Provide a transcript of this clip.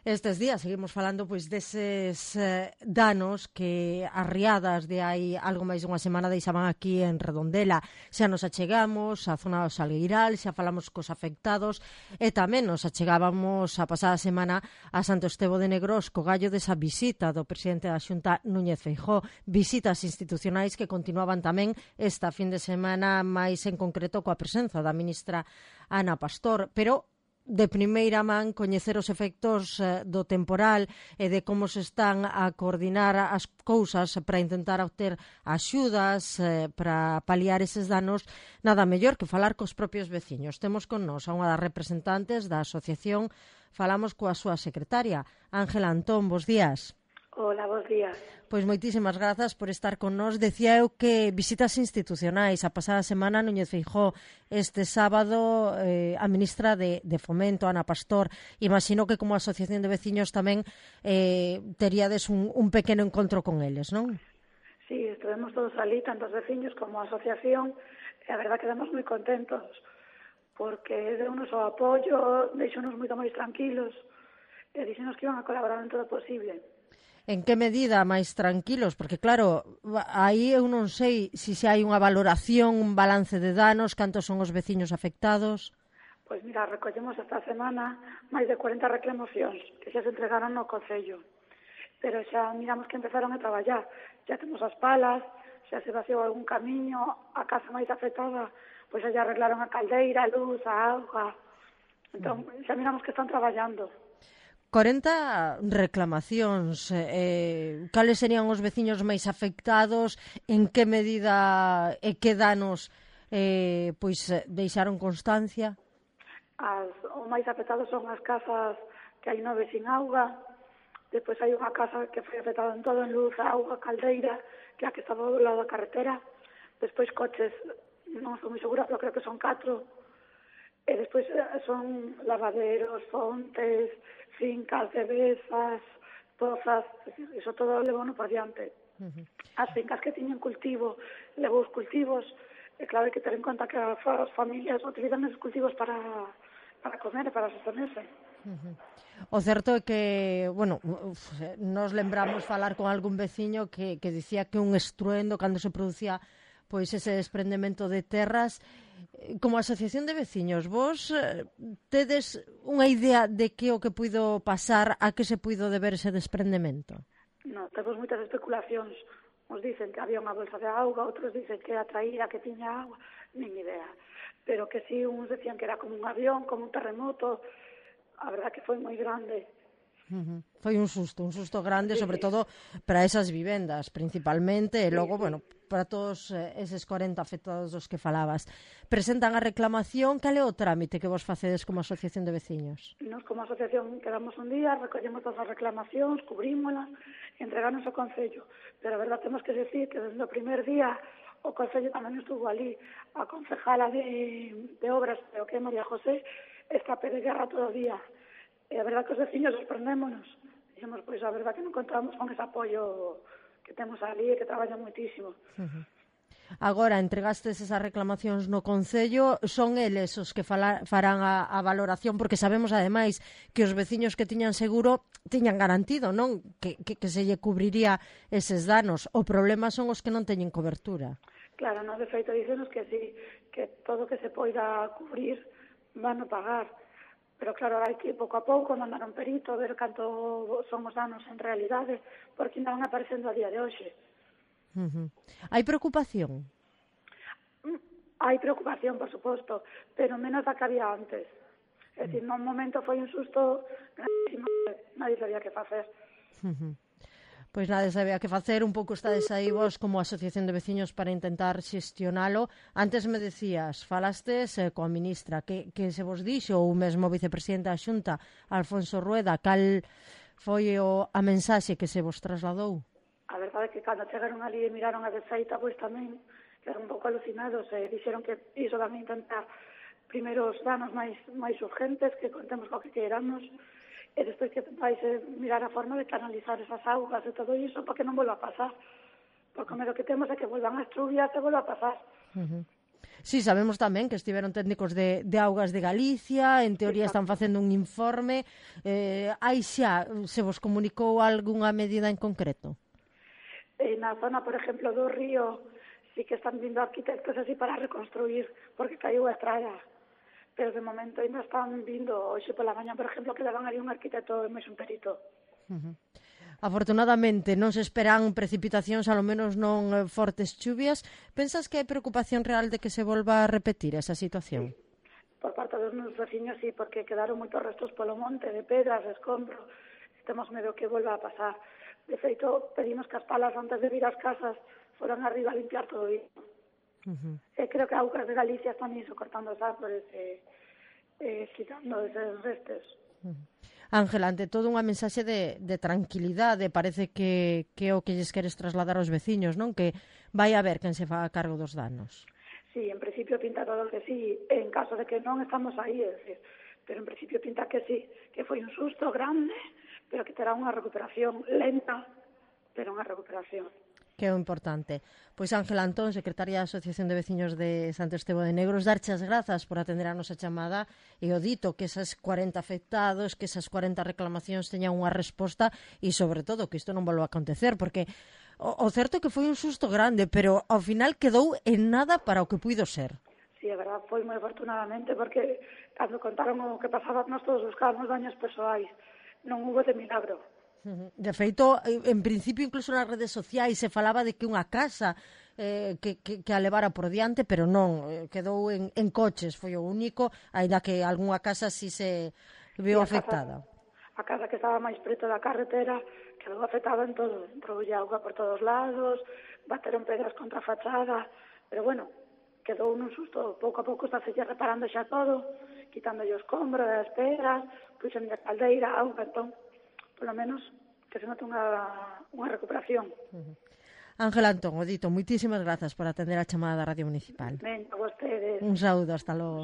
Estes días seguimos falando pois deses danos que as riadas de hai algo máis dunha semana deixaban aquí en Redondela. Xa nos achegamos á zona do Salgueiral, xa falamos cos afectados e tamén nos achegábamos a pasada semana a Santo Estevo de Negros co gallo desa visita do presidente da Xunta Núñez Feijóo, visitas institucionais que continuaban tamén esta fin de semana, máis en concreto coa presenza da ministra Ana Pastor, pero de primeira man coñecer os efectos do temporal e de como se están a coordinar as cousas para intentar obter axudas para paliar eses danos, nada mellor que falar cos propios veciños. Temos con nós a unha das representantes da asociación, falamos coa súa secretaria, Ángela Antón, bos días. Hola, bos días. Pois moitísimas grazas por estar con nós. Decía eu que visitas institucionais. A pasada semana Núñez Feijóo, este sábado a ministra de Fomento, Ana Pastor. Imagino que como asociación de veciños tamén teríades un pequeno encontro con eles, non? Sí, estuvemos todos ali, tanto os veciños como a asociación, e a verdad quedamos moi contentos porque deu-nos o apoio, deixou-nos moito máis tranquilos e dixenos que iban a colaborar en todo o posible. En que medida máis tranquilos? Porque claro, aí eu non sei se hai unha valoración, un balance de danos, cantos son os veciños afectados. Pois mira, recollemos esta semana máis de 40 reclamacións que xa se entregaron no Concello. Pero xa miramos que empezaron a traballar. Xa temos as palas, xa se vaciou algún camiño, a casa máis afectada, pois xa arreglaron a caldeira, a luz, a auga. Entón, xa miramos que están traballando. 40 reclamacións, cales serían os veciños máis afectados, en que medida e que danos pois deixaron constancia? Os máis afectados son as casas que hai 9 sin auga, depois hai unha casa que foi afectada en todo, en luz, auga, caldeira, que é a que estaba do lado da carretera, despois coches, non estou moi segura, pero creo que son 4, e despois son lavaderos, fontes, fincas, cervezas, pozas, iso todo levou por diante. As fincas que tiñen cultivo, levou os cultivos, e claro, hai que ter en conta que as familias utilizan esos cultivos para comer e para sostenerse. O certo é que, bueno, nos lembramos falar con algún veciño que dicía que un estruendo cando se producía pois ese desprendemento de terras. Como asociación de veciños, vos tedes unha idea de que o que puido pasar, a que se puido deber ese desprendemento? Non, temos moitas especulacións. Uns dicen que había unha bolsa de auga, outros dicen que era traída, que tiña agua, nin idea. Pero que si, uns decían que era como un avión, como un terremoto. A verdad que foi moi grande. Foi un susto grande, sí, sobre todo para esas vivendas, principalmente, e logo, bueno, para todos eses 40 afectados dos que falabas. Presentan a reclamación, cal é o trámite que vos facedes como asociación de veciños? Nos como asociación quedamos un día, recollemos todas as reclamacións, cubrímolas e entregarnos ao Concello. Pero a verdad temos que decir que desde o primer día o Concello tamén estuvo ali. A concejala de obras, creo que é María José, está de guerra todo o día. E a verdad que os veciños sorprendémonos. Dixemos, pois a verdad que non contamos con ese apoio que temos ali e que traballan moitísimo. Agora, entregastes esas reclamacións no Concello, son eles os que farán a valoración, porque sabemos, ademais, que os veciños que tiñan seguro tiñan garantido, non? Que se lle cubriría eses danos. O problema son os que non teñen cobertura. Claro, no, de feito, dícenos que sí, que todo que se poida cubrir van a pagar. Pero claro, hai que pouco a pouco mandar un perito a ver canto son os danos en realidade, porque ainda van aparecendo a día de hoxe. Hai preocupación? Hai preocupación, por suposto, pero menos da que había antes. É dicir, no momento foi un susto grandísimo, nadie sabía que facer. Pois nada sabía que facer, un pouco estades aí vos como asociación de veciños para intentar xestionalo. Antes me decías, falastes coa ministra, que se vos dixo, ou mesmo o vicepresidente da Xunta, Alfonso Rueda, cal foi a mensaxe que se vos trasladou? A verdade é que cando chegaron ali e miraron a desfeita, pois tamén quedaron un pouco alucinados e dixeron que iso tamén intentar primeiro os danos máis urgentes, que contemos co que queiramos, e despois que vais mirar a forma de canalizar esas augas e todo iso para que non volva a pasar. Porque o medo que temos é que volvan as chuvias e volva a pasar. Sí, sabemos tamén que estiveron técnicos de Augas de Galicia, en teoría están facendo un informe. Hai xa, se vos comunicou algunha medida en concreto? Na zona, por exemplo, do río, sí que están vindo arquitectos así para reconstruir, porque caiu a estrada. Pero de momento ainda están vindo, hoxe pola mañá, por exemplo, que daban ali un arquitecto e máis un perito. Afortunadamente non se esperan precipitacións, ao menos non fortes chuvias. Pensas que hai preocupación real de que se volva a repetir esa situación? Sí. Por parte dos meus veciños, sí, porque quedaron moitos restos polo monte de pedras, de escombros. Temos medo que volva a pasar. De feito, pedimos que as palas antes de vir ás casas foran arriba a limpiar todo isto. Creo que Augas de Galicia están iso, cortando os árboles quitando eses restos. Ángela, ante todo unha mensaxe de tranquilidade, parece que é o que lles queres trasladar aos veciños, non? Que vai haber quen se faga cargo dos danos. Sí, en principio pinta todo que sí, en caso de que non estamos aí, é decir, pero en principio pinta que sí, que foi un susto grande, pero que terá unha recuperación lenta, pero unha recuperación. Que é o importante. Pois Ángela Antón, secretaria da Asociación de Veciños de Santo Estevo de Negros, darche as grazas por atender a nosa chamada e o dito que esas 40 afectados, que esas 40 reclamacións teñan unha resposta e, sobre todo, que isto non volva a acontecer, porque o certo é que foi un susto grande, pero ao final quedou en nada para o que puido ser. Sí, é verdad, foi moi afortunadamente, porque cando contaron o que pasaba, nós todos buscábamos daños persoais. Non hubo de milagro. De feito, en principio, incluso nas redes sociais se falaba de que unha casa que a levara por diante, pero non, quedou en coches, foi o único, aínda que algunha casa sí se viu afectada. A casa que estaba máis preto da carretera quedou afectada en todo, troulle auga por todos lados, bateron pedras contra a fachada, pero bueno, quedou nun susto, pouco a pouco está se reparando xa todo, quitando os escombros, as pedras, puxen de caldeira, auga, entón, polo menos que se note unha recuperación. Ángela Antón, o dito, moitísimas grazas por atender a chamada da Radio Municipal. Ben, a vostedes. Un saúdo, hasta logo.